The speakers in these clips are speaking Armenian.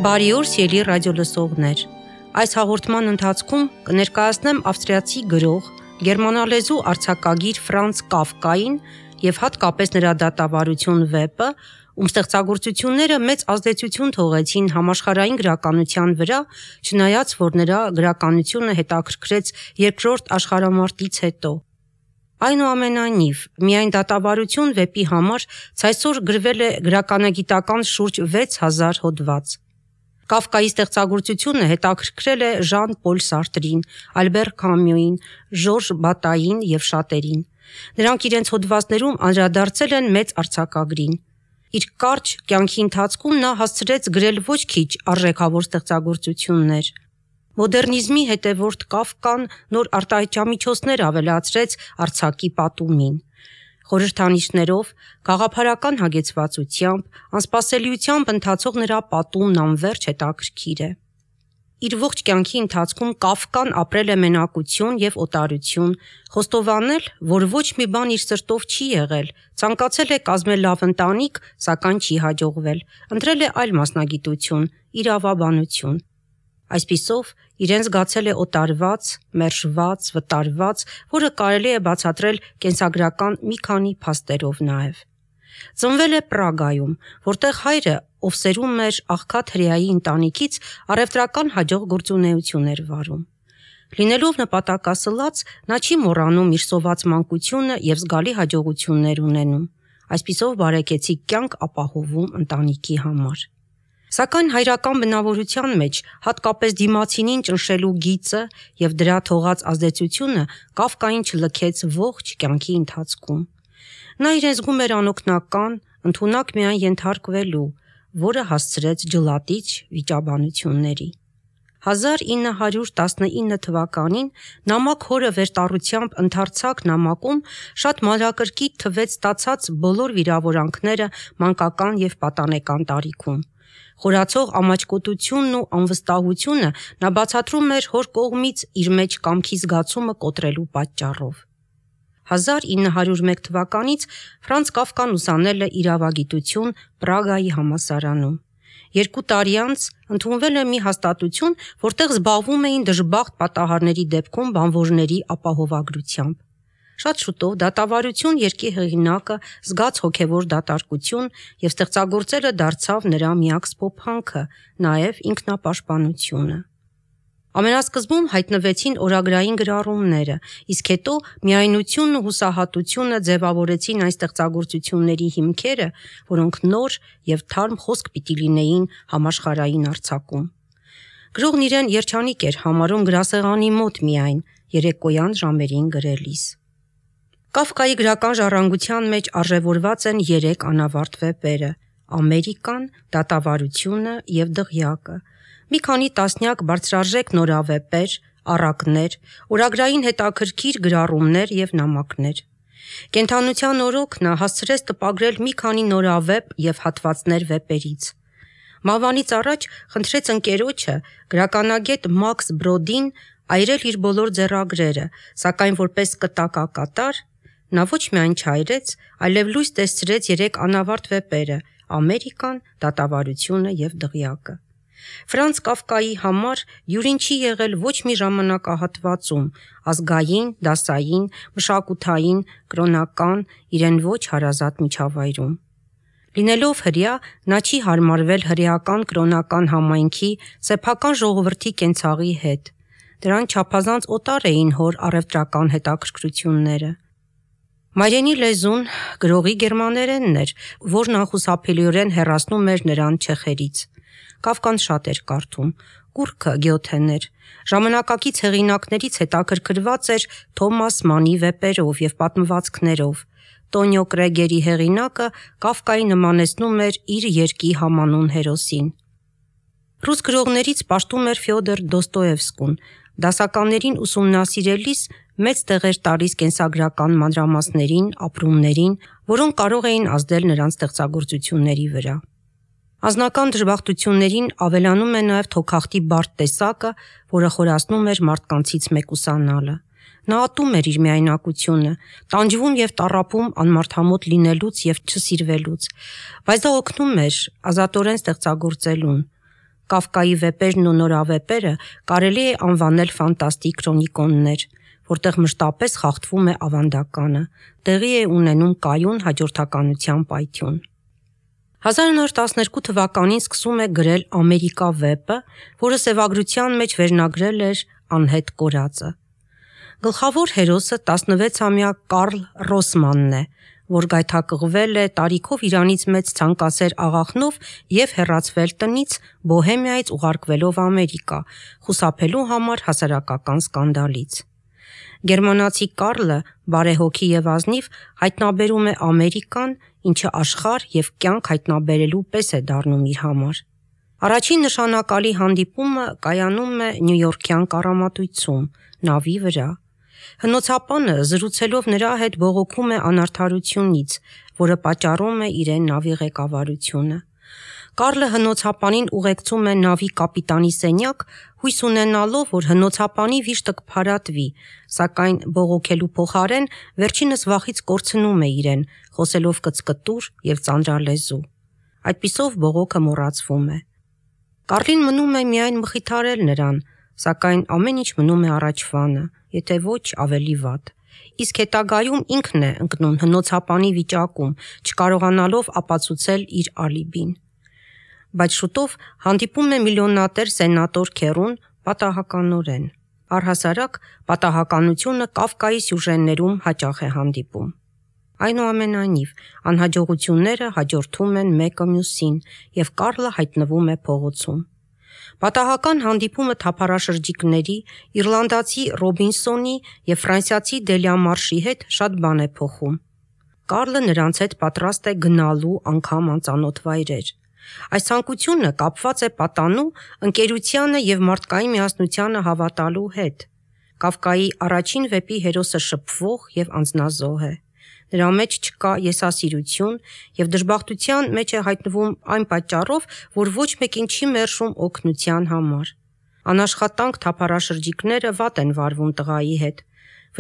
Բարի օր սիրելի ռադիոլսողներ։ Այս հաղորդման ընթացքում կներկայացնեմ ավստրիացի գրող, գերմանալեզու արձակագիր Ֆրանց Կաֆկային եւ հատկապես նրա դատավարություն վեպը, ում ստեղծագործությունները մեծ ազդեցություն թողեցին համաշխարհային գրականության վրա, չնայած որ նրա գրականությունը հետաքրքրեց Երկրորդ աշխարհամարտից հետո։ Այնուամենայնիվ, միայն դատավարություն վեպի համար ցայսօր գրվել է գրականագիտական շուրջ 6000 հոդված։ Կաֆկայի ստեղծագործությունը հետաքրքրել է Ժան Պոլ Սարտրին, Ալբեր Կամյուին, Ժորժ Բատային եւ շատերին։ Նրանք իրենց հոդվածներում անդրադարձել են մեծ արձակագրին։ Իր կարճ կյանքի ընթացքում նա հասցրեց գրել ոչ քիչ արժեքավոր ստեղծագործություններ։ Մոդեռնիզմի հետևորդ Կաֆկան նոր արտահայտչամիջոցներ ավելացրեց արձակի պատումին։ Խորհրդանիշներով, գաղափարական հագեցվածությամբ, անսպասելիությամբ ընթացող նրա պատումն անվերջ հետաքրքիր է։ Իր ողջ կյանքի ընթացքում Կաֆկան ապրել է մենակություն եւ օտարություն, խոստովանել, որ ոչ մի բան իր սրտով չի եղել, ցանկացել է կազմել լավ ընտանիք, սակայն չի հաջողվել, ընտրել է այլ մասնագիտություն՝ իրավաբանություն։ Այսպիսով, իրեն զգացել է օտարված, մերժված, վտարված, որը կարելի է բացատրել կենսագրական մի քանի փաստերով նաև։ Ծնվել է Պրագայում, որտեղ հայրը, ով սերում էր աղքատ հրեայի ընտանիքից, առևտրական հաջող գործունեություն էր վարում։ Լինելով նպատակասլաց, նա չի մոռանում իր սոված մանկությունը եւ զգալի հաջողություններ ունենում։ Այսպիսով բարեկեցիկ կյանք ապահովում ընտանիքի համար։ Սակայն հայրական բնավորության մեջ հատկապես դիմացինին ճնշելու գիծը եւ դրա թողած ազդեցությունը Կաֆկային չլքեց ողջ կյանքի ընթացքում։ Նա իրեն զգում էր անօգնական, ընդունակ միայն ենթարկվելու, որը հասցրեց ջլատիչ վիճաբանությունների։ 1919 թվականին նամակ հորը վերտառությամբ ընդարձակ նամակում շատ մանրակրկիտ թվեց ստացած բոլոր վիրավորանքները մանկական եւ պատանեկան տարիքում։ Խորացող ամաչկոտությունն ու անվստահությունը նա բացատրում էր հոր կողմից իր մեջ կամքի զգացումը կոտրելու պատճառով։ 1901 թվականից Ֆրանց Կաֆկան ուսանել է իրավագիտություն Պրագայի համալսարանում։ 2 տարի անց ընդունվել է մի հաստատություն, որտեղ զբաղվում էին դժբախտ պատահարների դեպքում բանվորների ապահովագրությամբ։ Շատ շուտով դատավարություն երկի հեղինակը զգաց հոգևոր դատարկություն եւ ստեղծագործելը դարձավ նրա միակ սփոփանքը, նաեւ ինքնապաշտպանությունը։ Ամենասկզբում հայտնվեցին օրագրային գրառումները, իսկ հետո միայնությունն ու հուսահատությունը ձևավորեցին այն ստեղծագործությունների հիմքերը, որոնք նոր եւ թարմ խոսք պիտի լինեին համաշխարհային արձակում։ Գրողն իրեն երջանիկ էր համարում գրասեղանի մոտ միայն երեկոյան ժամերին գրելիս։ Կաֆկայի գրական ժառանգության մեջ արժևորված են 3 անավարտ վեպերը՝ Ամերիկան, Դատավարությունը եւ Դղյակը, մի քանի տասնյակ բարձրարժեք նորավեպեր, առակներ, օրագրային հետաքրքիր գրառումներ եւ նամակներ։ Կենդանության օրոք նա հասցրեց տպագրել մի քանի նորավեպ եւ հատվածներ վեպերից։ Մահվանից առաջ խնդրեց ընկերոջը, գրականագետ Մաքս Բրոդին, այրել իր բոլոր ձեռագրերը, սակայն որպես կտակակատար նա ոչ միայն չայրեց, այլև լույս տեսցրեց 3 անավարտ վեպերը՝ Ամերիկան, Դատավարությունը եւ Դղյակը։ Ֆրանց Կաֆկայի համար յուրին չի եղել ոչ մի ժամանակահատվածում՝ ազգային, դասային, մշակութային, կրոնական, իրեն ոչ հարազատ միջավայրում։ Լինելով հրեա, նա չի հարմարվել հրեական կրոնական համայնքի, սեփական ժողովրդի կենցաղի հետ։ Դրան չափազանց օտար էին հոր առևտրական հետաքրքրությունները։ Մայրենի լեզուն գրողի գերմաներենն էր, որն անխուսափելիորեն հեռացնում էր նրան չեխերից։ Կաֆկան շատ էր կարդում, կուռքը Գյոթեն էր, ժամանակակից հեղինակներից հետաքրքրված էր Թոմաս Մանի վեպերով եւ պատմվածքներով։ Տոնիո Կրեգերի հեղինակը Կաֆկայի նմանեցնում էր իր երկի համանուն հերոսին։ Ռուս գրողներից պաշտում էր Ֆյոդոր Դոստոևսկուն, դասականներին ուսումնասիրելիս մեծ տեղ էր տալիս կենսագրական մանրամասներին, ապրումներին, որոնք կարող էին ազդել նրանց ստեղծագործությունների վրա։ Անձնական դժբախտություններին ավելանում է նաև թոքախտի բարդ տեսակը, որը խորացնում էր մարդկանցից մեկուսանալը։ Նա ատում էր իր միայնակությունը, տանջվում եւ տառապում անմարդամոտ լինելուց եւ չսիրվելուց, բայց դա օգնում էր ազատորեն ստեղծագործելուն։ Կաֆկայի վեպերն ու նորավեպերը կարելի է անվանել ֆանտաստիկ քրոնիկոններ, որտեղ մշտապես խախտվում է ավանդականը, տեղի է ունենում կայուն հաջորդականության պայթյուն։ 1912 թվականին սկսում է գրել Ամերիկա վեպը, որը սևագրության մեջ վերնագրել էր Անհետ կորածը։ Գլխավոր հերոսը 16-ամյա Կարլ Ռոսմանն է, որ գայթակղվել է տարիքով իրանից մեծ ցանկասեր աղախնով եւ հեռացվել տնից, Բոհեմիայից ուղարկվելով Ամերիկա, խուսափելու համար հասարակական սկանդալից։ Գերմանացի Կարլը, բարեհոգի եւ ազնիվ, հայտնաբերում է Ամերիկան, ինչը աշխարհ եւ կյանք հայտնաբերելու պես է դառնում իր համար։ Առաջին նշանակալի հանդիպումը կայանում է Նյույորքյան կառամատույցում, նավի վրա։ Հնոցապանը զրուցելով նրա հետ բողոքում է անարդարությունից, որը պատճառում է իրեն նավի ղեկավարությունը։ Կարլը հնոցապանին ուղեկցում է նավի կապիտանի սենյակ, հույս ունենալով, որ հնոցապանի վիշտը կփարատվի, սակայն բողոքելու փոխարեն վերջինս վախից կորցնում է իրեն, խոսելով կծկտուր եւ ծանրալեզու։ Այդպիսով բողոքը մոռացվում է։ Կարլին մնում է միայն մխիթարել նրան, սակայն ամեն ինչ մնում է առաջվանը, եթե ոչ ավելի վատ։ Իսկ հետագայում ինքն է ընկնում հնոցապանի վիճակում, չկարողանալով ապացուցել իր ալիբին։ Բայց շուտով հանդիպում է միլիոնատեր սենատոր Քերուն պատահականորեն։ Առհասարակ պատահականությունը Կաֆկայի սյուժեներում հաճախ է հանդիպում։ Այնուամենայնիվ, անհաջողությունները հաջորդում են մեկը մյուսին, եւ Կարլը հայտնվում է փողոցում։ Պատահական հանդիպումը թափառաշրջիկների, իռլանդացի Ռոբինսոնի եւ ֆրանսիացի Դելիամարշի հետ շատ բան է փոխում։ Կարլը նրանց հետ պատրաստ է գնալու անգամ անծանոթ վայրեր։ Այս ցանկությունը կապված է պատանու, ընկերությանը եւ մարդկային միասնությանը հավատալու հետ։ Կաֆկայի առաջին վեպի հերոսը շփվող եւ անձնազոհ է։ Նրա մեջ չկա եսասիրություն եւ դժբախտության մեջ է հայտնվում այն պատճառով, որ ոչ մեկին չի մերժում օգնության համար։ Անաշխատանք թափառաշրջիկները վատ են վարվում տղայի հետ։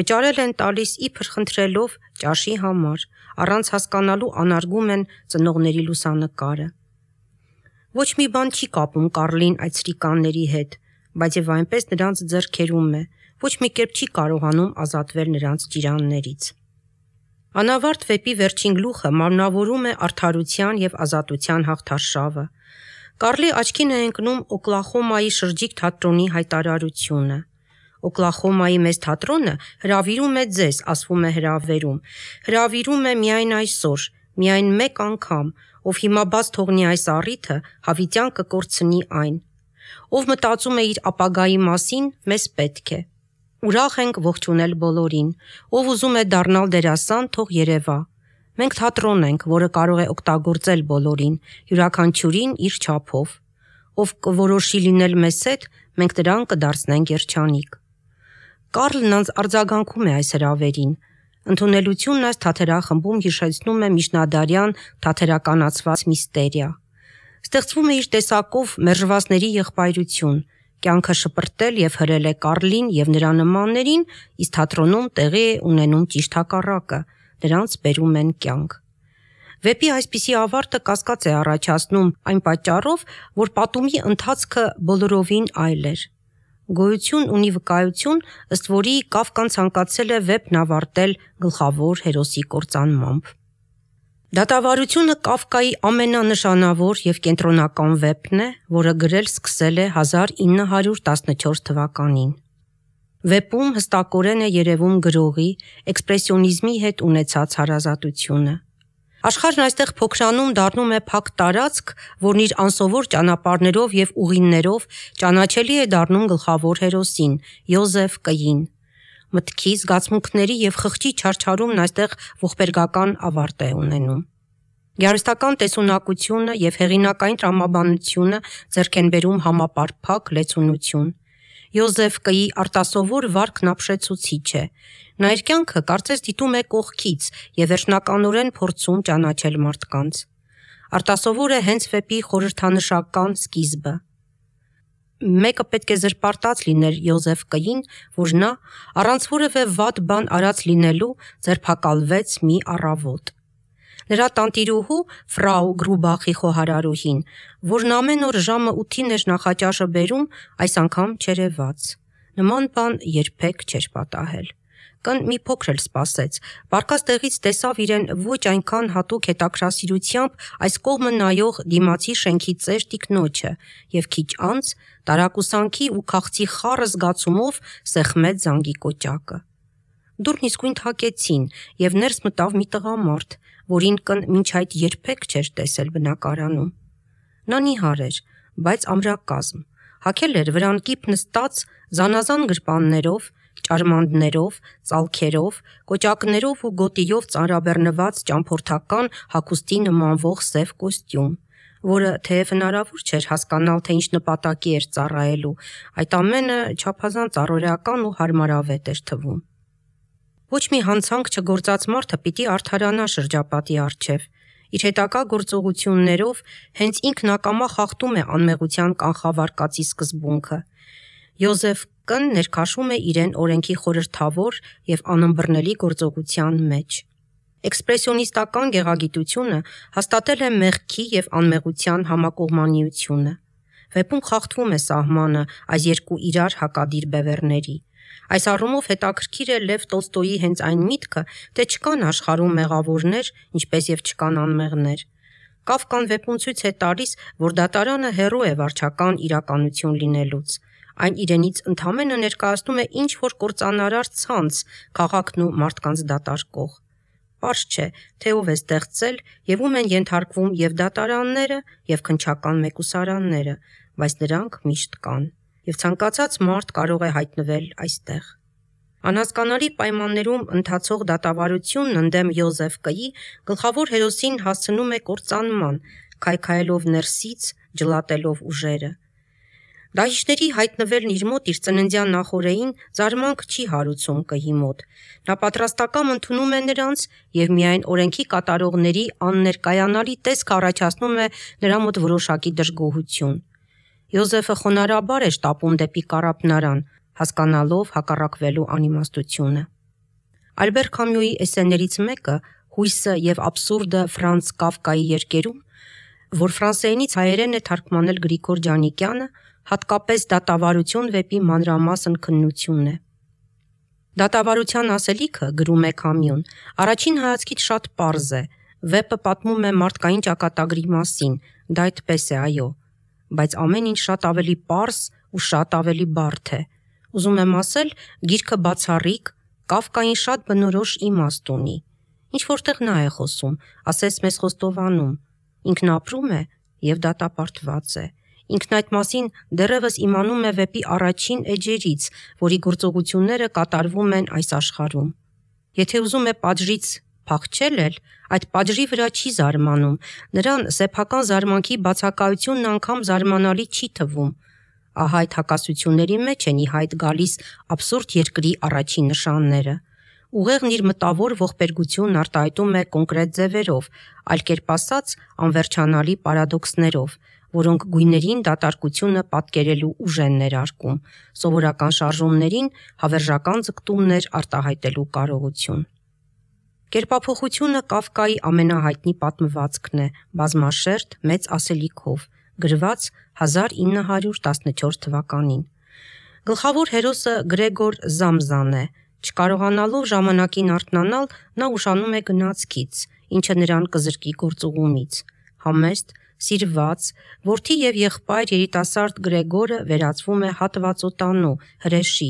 Վճարել են տալիս իբր խնդրելով ճաշի համար, առանց հասկանալու անարգում են ծնողների լուսանկարը։ Ոչ մի բան չի կապում Կարլին այդ սրիկանների հետ, բայց եւ այնպես նրանց ձեռքերում է, ոչ մի կերպ չի կարողանում ազատվել նրանց ճիրաններից։ Անավարտ վեպի վերջին գլուխը մարմնավորում է արդարության եւ ազատության հաղթարշավը։ Կարլի աչքին է ընկնում Օկլախոմայի շրջիկ թատրոնի հայտարարությունը։ Օկլախոմայի մեծ թատրոնը հրավիրում է ձեզ, ասվում է հրավերում։ Հրավիրում է միայն այսօր, միայն մեկ անգամ, ով հիմա բաց թողնի այս առիթը, հավիտյան կկորցնի այն։ Ով մտածում է իր ապագայի մասին, մեզ պետք է։ Ուրախ ենք ողջունել բոլորին, ով ուզում է դառնալ դերասան, թող երևա։ Մենք թատրոն ենք, որը կարող է օգտագործել բոլորին, յուրաքանչյուրին իր չափով։ Ով կորոշի լինել մեզ հետ, մենք նրան կդարձնենք երջանիկ։ Կարլն արձագանքում է այս հրավերին։ Ընդունելությունն այս թատերախմբում հիշեցնում է միջնադարյան թատերականացված միստերիա։ Ստեղծվում է իր տեսակով մերժվածների եղբայրություն, կյանքը շպրտել եւ հրել է Կարլին եւ նրա նմաններին, իսկ թատրոնում տեղի է ունենում ճիշտ հակառակը, նրանց բերում են կյանք։ Վեպի այսպիսի ավարտը կասկած է առաջացնում այն պատճառով, որ պատումի ընթացքը բոլորովին այլ էր։ Գոյություն ունի վկայություն, ըստ որի Կաֆկան ցանկացել է վեպն ավարտել գլխավոր հերոսի կործանմամբ։ Դատավարությունը Կաֆկայի ամենանշանավոր եւ կենտրոնական վեպն է, որը գրել սկսել է 1914 թվականին։ Վեպում հստակորեն է երևում գրողի էքսպրեսիոնիզմի հետ ունեցած հարազատությունը։ Աշխարհն այստեղ փոքրանում դառնում է փակ տարածք, որն իր անսովոր ճանապարհներով եւ ուղիներով ճանաչելի է դառնում գլխավոր հերոսին՝ Յոզեֆ Կ-ին։ Մտքի, զգացմունքների եւ խղճի չարչարումն այստեղ ողբերգական ավարտ է ունենում։ Գեղարվեստական տեսունակությունը եւ հեղինակային տրամաբանությունը ձեռք են բերում համապարփակ լեցունություն։ Յոզեֆ Կ-ի արտասովոր վարքն ապշեցուցիչ է։ Նա իր կյանքը կարծես դիտում է կողքից եւ վերջնականորեն փորձում ճանաչել մարդկանց։ Արտասովոր է հենց վեպի խորհրդանշական սկիզբը։ Մեկը պետք է զրպարտած լիներ Յոզեֆ Կ-ին, որ նա առանց որևէ վատ բան արած լինելու ձերբակալվեց մի առավոտ։ Նրա տանտիրուհու Ֆրաու Գրուբախի խոհարարուհին, որն ամեն օր ժամը 8-ին էր նախաճաշը բերում, այս անգամ չերևաց։ Նման բան երբեք չէր պատահել։ Կն մի փոքր էլ սպասեց, պառկած տեղից տեսավ իրեն ոչ այնքան հատուկ հետաքրքրասիրությամբ այս կողմը նայող դիմացի շենքի ծեր տիկնոջը և քիչ անց տարակուսանքի ու քաղցի խառը զգացումով սեղմեց զանգի կոճակը։ Դուռն իսկույն թակեցին և ներս մտավ մի տղամարդ, որին կն մինչ այդ երբեք չէր տեսել բնակարանում։ Նա նիհար էր, բայց ամրակազմ, հագել էր վրան կիպ նստած զանազան գրպաններով, ճարմանդներով, ծալքերով, կոճակներով ու գոտիով ծանրաբեռնված ճամփորդական հագուստի նմանվող սև կոստյում, որը թեև հնարավոր չէր հասկանալ, թե ինչ նպատակի էր ծառայելու, այդ ամենը չափազանց առօրեական ու հարմարավետ էր թվում։ Ոչ մի հանցանք չգործած մարդը պիտի արդարանա շրջապատի առջև, իր հետագա գործողություններով հենց ինքն ակամա խախտում է անմեղության կանխավարկածի սկզբունքը։ Յոզեֆ Կն ներքաշում է իրեն օրենքի խորհրդավոր և անըմբռնելի գործողության մեջ։ Էքսպրեսիոնիստական գեղագիտությունը հաստատել է մեղքի և անմեղության համակողմանիությունը։ Վեպում խախտվում է սահմանը այս երկու իրար հակադիր բևեռների։ Այս առումով հետաքրքիր է Լև Տոլստոյի հենց այն միտքը, թե չկան աշխարհում մեղավորներ, ինչպես և չկան անմեղներ։ Կաֆկան վեպում ցույց է տալիս, որ դատարանը հեռու է վարչական իրականություն լինելուց։ Այն իրենից ընդամենը ներկայացնում է ինչ-որ կործանարար ցանց քաղաքն ու մարդկանց դատարկող։ Պարզ չէ, թե ով է ստեղծել և ում են ենթարկվում և դատարանները, և քննչական մեկուսարանները, բայց դրանք միշտ կան, և ցանկացած մարդ կարող է հայտնվել այստեղ։ Անհասկանալի պայմաններում ընթացող դատավարությունն ընդդեմ Յոզեֆ Կ-ի գլխավոր հերոսին հասցնում է կործանման, քայքայելով ներսից, ջլատելով ուժերը։ Դահիճների հայտնվելն իր մոտ իր ծննդյան նախօրեին զարմանք չի հարուցում Կ-ի մոտ։ Նա պատրաստակամ ընդունում է նրանց և միայն օրենքի կատարողների աններկայանալի տեսքը առաջացնում է նրա մոտ որոշակի դժգոհություն։ Յոզեֆը խոնարհաբար է շտապում դեպի կառափնարան, հասկանալով հակառակվելու անիմաստությունը։ Ալբեր Քամյուի էսսեներից մեկը «Հույսը և աբսուրդը» Ֆրանց Կաֆկայի երկերում, որ ֆրանսերենից հայերեն է թարգմանել Գրիգոր Ջանիկյանը, հատկապես դատավարություն վեպի մանրամասն քննություն է։ Դատավարության ասելիքը, գրում է Քամյուն, առաջին հայացքից շատ պարզ է, վեպը պատմում է մարդկային ճակատագրի մասին, դա այդպես է, այո, բայց ամեն ինչ շատ ավելի պարզ ու շատ ավելի բարդ է։ Ուզում եմ ասել, գիրքը բացառիկ, Կաֆկային շատ բնորոշ իմաստ ունի։ Ինչ-որտեղ նա է խոսում, ասես մեզ խոստովանում, ինքն ապրում է և դատապարտված է։ Ինքն այդ մասին դեռևս իմանում է վեպի առաջին էջերից, որի գործողությունները կատարվում են այս աշխարհում։ Եթե ուզում է պատժից փախչել էլ, այդ պատժի վրա չի զարմանում, նրան սեփական զարմանքի բացակայությունն անգամ զարմանալի չի թվում։ Ահա այդ հակասությունների մեջ են ի հայտ գալիս աբսուրդ երկրի առաջին նշանները։ Ուղեղն իր մտավոր ողբերգությունն արտահայտում է կոնկրետ ձևերով, այլ կերպ ասած, անվերջանալի պարադոքսներով, որոնք գույներին դատարկությունը պատկերելու ուժ են ներարկում, սովորական շարժումներին հավերժական ձգտումներ արտահայտելու կարողություն։ Կերպափոխությունը Կաֆկայի ամենահայտնի պատմվածքն է, բազմաշերտ, մեծ ասելիքով, գրված 1914 թվականին։ Գլխավոր հերոսը Գրեգոր Զամզան է։ Չկարողանալով ժամանակին արթնանալ, նա ուշանում է գնացքից, ինչը նրան կզրկի գործուղումից։ Համեստ, սիրված, որդի և եղբայր երիտասարդ Գրեգորը վերածվում է հատվածոտանու, հրեշի։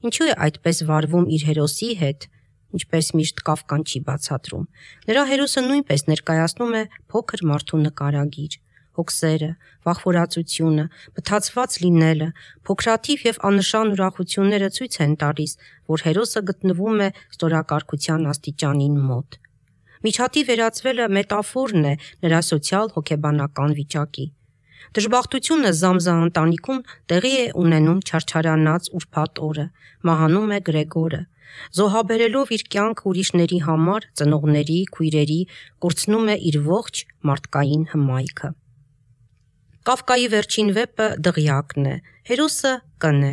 Ինչու է այդպես վարվում իր հերոսի հետ, ինչպես միշտ Կաֆկան չի բացատրում։ Նրա հերոսը նույնպես ներկայացնում է փոքր մարդու նկարագիր։ Հոգսերը, վախվորածությունը, մթացված լինելը, փոքրաթիվ և աննշան ուրախությունները ցույց են տալիս, որ հերոսը գտնվում է ստորակարգության աստիճանին մոտ։ Միջատի վերածվելը մետաֆորն է նրա սոցիալ-հոգեբանական վիճակի։ Դժբախտությունը Զամզա ընտանիքում տեղի է ունենում չարչարանած ուրբաթ օրը, մահանում է Գրեգորը։ Զոհաբերելով իր կյանքը ուրիշների համար, ծնողների, քույրերի, կորցնում է իր ողջ մարդկային հմայքը։ Կաֆկայի վերջին վեպը Դղյակն է։ Հերոսը Կն է,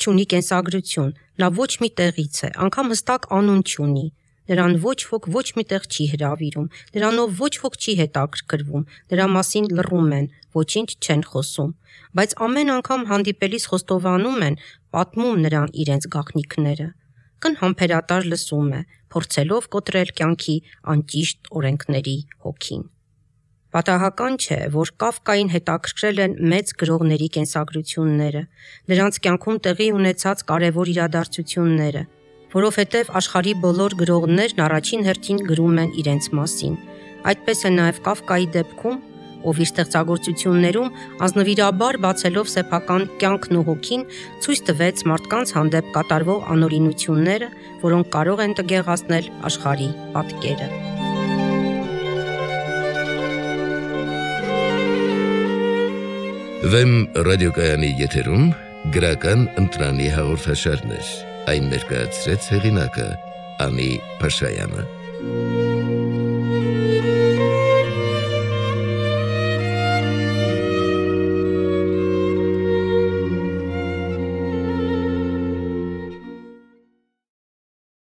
չունի կենսագրություն, նա ոչ մի տեղից է, անգամ հստակ անուն չունի։ Նրան ոչ ոք ոչ միտեղ չի հրավիրում, նրանով ոչ ոք չի հետաքրքրվում, նրա մասին լռում են, ոչինչ չեն խոսում, բայց ամեն անգամ հանդիպելիս խոստովանում են, պատմում նրան իրենց գաղտնիքները։ Կն համբերատար լսում է, փորձելով կոտրել կյանքի անճիշտ օրենքների հոգին։ Պատահական չէ, որ Կաֆկային հետաքրքրել են մեծ գրողների կենսագրությունները, նրանց կյանքում տեղի ունեցած կարևոր իրադարձությունները, որովհետև աշխարհի բոլոր գրողներն առաջին հերթին գրում են իրենց մասին։ Այդպես է նաև Կաֆկայի դեպքում, ով իր ստեղծագործություններում ազնվիրաբար բացելով սեփական կյանքն ու հոգին ցույց տվեց մարդկանց հանդեպ կատարվող անօրինությունները, որոնք կարող են տգեղացնել աշխարհի պատկերը։ Վեմ ռադիոկայանի եթերում գրական ընտրանի հաղորդաշարներ, այն ներկայացրեց հեղինակը Անի Փաշայանը։